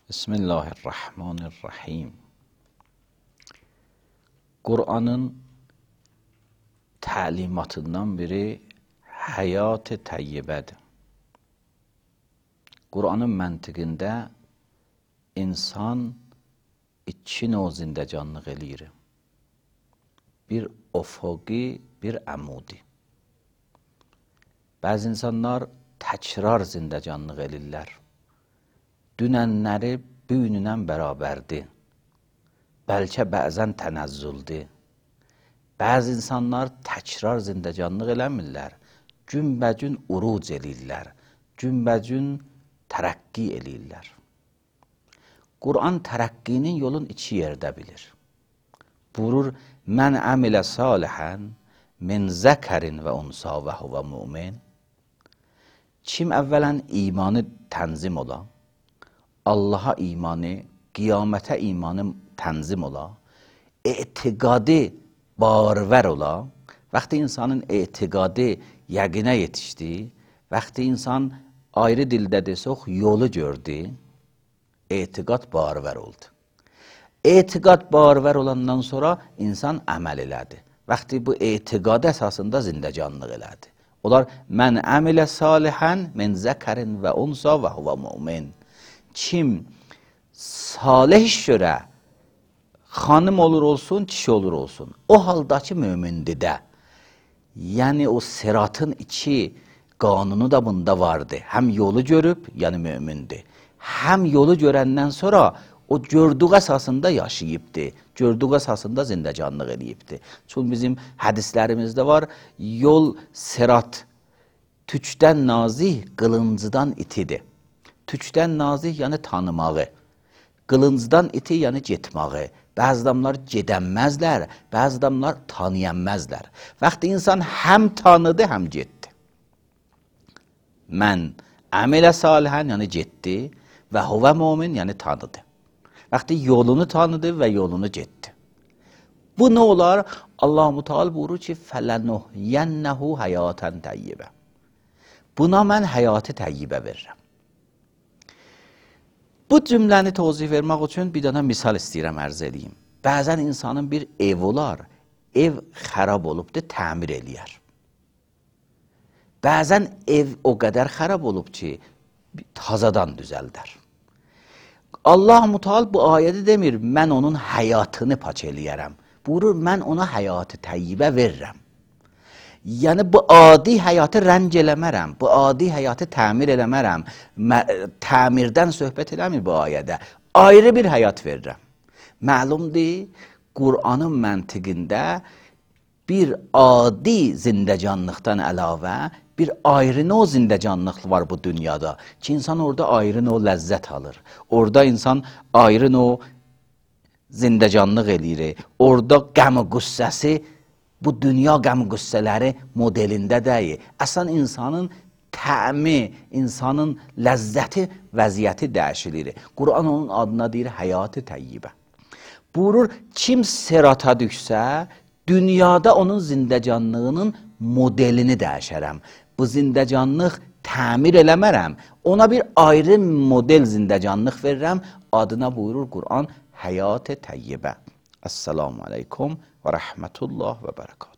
Bismillahirrahmanirrahim. Kur'an'ın təlimatından biri həyat-ı təyyibədir. Kur'an'ın məntiqində insan iki növ zindəcanlıq eləyir. Bir ufuqi, bir əmudi. Bəzi insanlar təkrar zindəcanlıq eləyirlər. Dünənləri bugünlə bərabərdir. Bəlkə bəzən tənəzzüldür. Bəzi insanlar təkrar zindəcanlıq eləmirlər. Günbəgün uruc eləyirlər. Günbəgün tərəqqi eləyirlər. Kur'an tərəqqinin yolun iki yerdə bilir. Buyurur, mən əmilə salihən min zəkərin və unsa və huvə mümin. Kim əvvələn imanı tənzim ola, Allaha imanı, qiyamətə imanı tənzim ola, etiqadı barvər ola, vaxtı insanın etiqadı yəqinə yetişdi, vaxtı insan ayrı dildə desək yolu gördü, etiqad barvər oldu. Etiqad barvər olandan sonra insan əməl elədi. Vaxtı bu etiqad əsasında zindəcanlıq elədi. Onlar, mən əmilə salihən min zəkərin və unsa və huvə mümin. Kim salih iş görə xanım olur olsun, kişi olur olsun, o haldakı mömindir də. Yəni o sıratın iki qanunu da bunda vardı. Həm yolu görüb, yəni mömindir. Həm yolu görəndən sonra o gördüğü əsasında yaşayıbdır. Gördüğü əsasında zindəcanlıq eləyibdir. Çünki bizim hədislərimizdə var, yol sırat tükdən nazih, qılıncıdan itidir. Tükdən nazih, yəni tanımağı. Qılıncdan iti, yəni getməyi. Bəzi adamlar gedənməzlər, bəzi adamlar tanıyanməzlər. Vaxtı insan həm tanıdı, həm getdi. Mən əmilə salihən, yəni getdi və huvə mümin, yəni tanıdı. Vaxtı yolunu tanıdı və yolunu getdi. Bu nə olar? Allah-u Teala buyurur ki, fələnuhyənnəhu həyatən təyyibə. Buna mən həyatı təyyibə verirəm. Bu cümləni tozih vermək üçün bir dənə misal istəyirəm, ərz edeyim. Bəzən insanın bir ev olar, ev xərab olubdur, təmir eləyər. Bəzən ev o qədər xərab olub ki, tazadan düzəldər. Allah-u Teala bu ayədə demir, mən onun həyatını paç eləyərəm. Buyurur, mən ona həyatı təyyibə verirəm. Yəni bu adi həyatı rəng eləmərəm, bu adi həyatı təmir eləmərəm. Təmirdən söhbət eləmir bu ayədə. Ayrı bir həyat verirəm. Məlumdur, Kur'an'ın məntiqində bir adi zindəcanlıqdan əlavə bir ayrı növ zindəcanlıq var bu dünyada ki, insan orada ayrı növ ləzzət alır. Orada insan ayrı növ zindəcanlıq eləyir. Orada qəm-qüssəsi bu dünya qəm-qüssələri modelində deyil. Əslən insanın təmi, insanın ləzzəti, vəziyyəti dəyişilir. Kur'an onun adına deyir həyat-ı təyyibə. Buyurur, kim sirata düşsə, dünyada onun zindəcanlığının modelini dəyişərəm. Bu zindəcanlıq təmir eləmərəm. Ona bir ayrı model zindəcanlıq verirəm. Adına buyurur Kur'an həyat-ı təyyibə. Esselamu aleykum və rəhmətullah və bərəkatuhu.